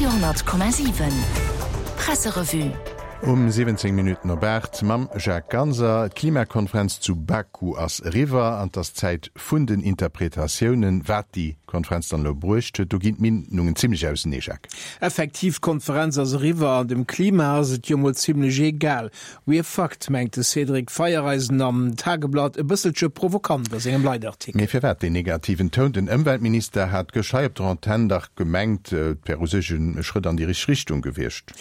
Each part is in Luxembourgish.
Radio 10,7 Presserevue. Um 17 Minutten op 8 mam Jacques Ganser. D'Klimakonferenz zu Baku ass eriwwer an 't ass Zäit vun den Interpretatiounen, wat déi Konferenz dann elo bruecht huet. Do ginn d'Meenungen zimmlech ausenee, Jacques. Effektiv, d'Konferenz ass eriwwer an dem Klima ass et jo mol zimmlech egal. We're fucked, mengt de Cédric Feiereisen am Tageblatt e bësselche provokant a sengem Leitartikel. Mee firwat deen negativen Toun? Den Ëmweltminister hat gëscht hei op der Antenn dach gemengt, et wär u sech e Schrëtt an déi richteg Richtung gewiescht.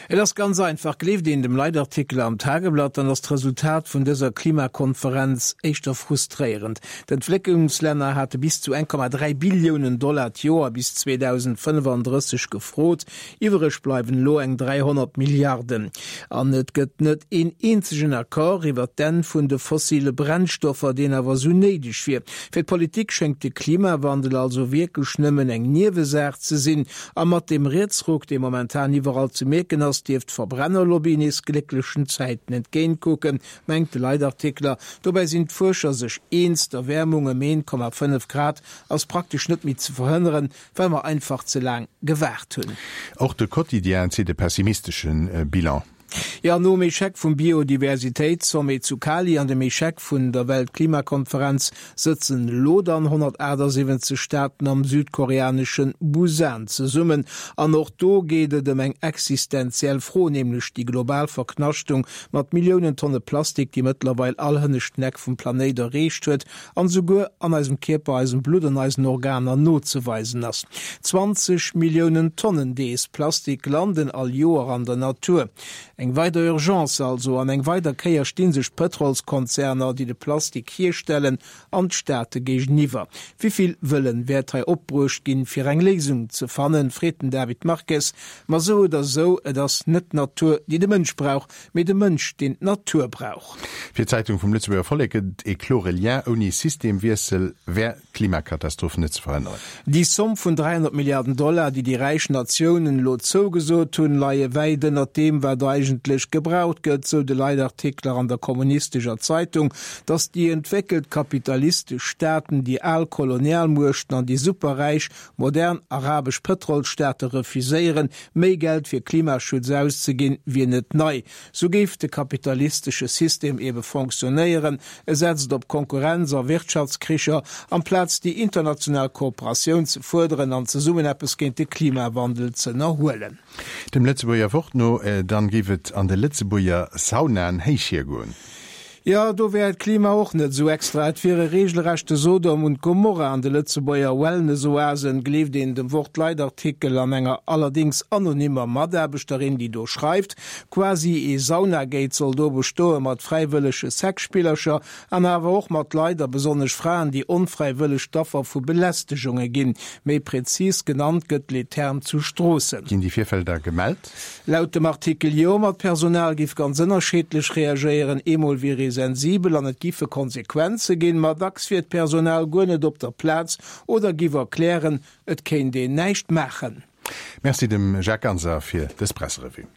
Et ass ganz einfach, Gleeft een dem Leitartikel am Tageblatt, dann ass d'Resultat vun dëser Klimakonferenz éischter frustréierend. D'Entwécklungslänner hate bis zu 1,3 Billiounen Dollar d'Joer bis 2035 gefrot. Iwwereg bleiwen elo eng 300 Milliarden. An et gëtt net een eenzegen Accord iwwer d'Enn vun de fossile Brennstoffer, deen awer esou néideg wier. Fir d'Politik schéngt de Klimawandel also wierklech nëmmen eng Niewesaach ze sinn. A mat deem Rietsruck, dee momentan iwwerall ze mierken ass, dierft d'Verbrennerlobby nees glécklechen Zäiten entgéintkucken, mengt de Leitartikler. Dobäi sinn d'Fuerscher sech eens, D'Erwäermung ëm 1,5 Grad ass praktesch net méi ze verhënneren. Well mer einfach ze laang gewaart hunn. Och de Quotidien zitt e pessimistesche Bilan. Jo, nom Echec vum Biodiversitéitssommet zu Cali an dem Echec vun der Weltklimakonferenz sëtzen elo dann 178 Staaten am südkoreanesche Busan zesummen. An och do geet et ëm eng existenziell Fro, nämlech déi global Verknaschtung mat Milliounen Tonne Plastik, déi mëttlerweil all hënneschten Eck vum Planéit erreecht huet an esouguer an eisem Kierper, eisem Blutt an eisen Organer nozeweisen ass. 20 Milliounen Tonnen dees Plastik landen all Joer an der Natur. Eng weider Urgence also, an eng weider Kéier sti sech d'Pëtrolskonzerner, déi de Plastik hierstellen, an d'Staate géigeniwwer. Wivill Wëllen wäert hei opbruecht ginn, fir eng Léisung ze fannen, freet den David Marques. Ma sou oder sou, et ass net d'Natur, déi de Mënsch brauch, mee de Mënsch, deen d'Natur brauch. Fir d'Zeitung vum Lëtzebuerger Vollek gëtt et ee klore Lien, Ouni Systemwiessel wär d'Klimakatastroph net ze verhënneren. Déi Zomm vun 300 Milliarden Dollar, déi déi räich Natiounen elo zougesot hunn, leie wäit ënnert deem, wat eigentlech gebraucht gëtt, sou de Leitartikler an der kommunistescher Zeitung. Datt déi entwéckelt kapitalistesch Staaten, déi al Kolonialmuechten an déi Superräich Modern arabesch Pëtrolsstaate refuséieren, méi Geld fir Klimaschutz auszeginn, wier net nei. Sou géif de kapitalistesche System ebe fonctionnéieren, E setzt op Konkurrenz a Wirtschaftskricher, amplaz déi international Kooperatioun ze fuerderen an zesummen eppes géint de Klimawandel z'ënnerhuelen. Dem Lëtzebuerger Wort no dann géif et an de Lëtzebuerger Saunaen héich hiergoen. Jo, do wär d'Klima och net esou extra. Et wier e regelrechte Sodom und Gomorra an de Lëtzebuerger Wellnessoasen, gleeft een dem Wort-Leitartikel an enger allerdéngs anonymmer Mataarbechterin, déi do schreift. Quasi ee Saunagate soll do bestoe mat fräiwëllege Sexspillercher an awer och mat Leit, a besonnesch Fraen, déi onfräiwëlleg d'Affer vu Belästegunge ginn. Méi prezis genannt gëtt Les Thermes zu Stroossen. Ginn déi Virfäll da gemellt? Laut dem Artikel jo, ma d'Personal giff ganz ënnerscheedlech reagéieren. Eemol wier ee sensibel an et giffe Konsequenze ginn, ma dacks wier d'Personal guer net op der Plaz oder giff erklären, et kéint een näischt maachen. Merci dem Jacques Ganser fir dës Presserevue.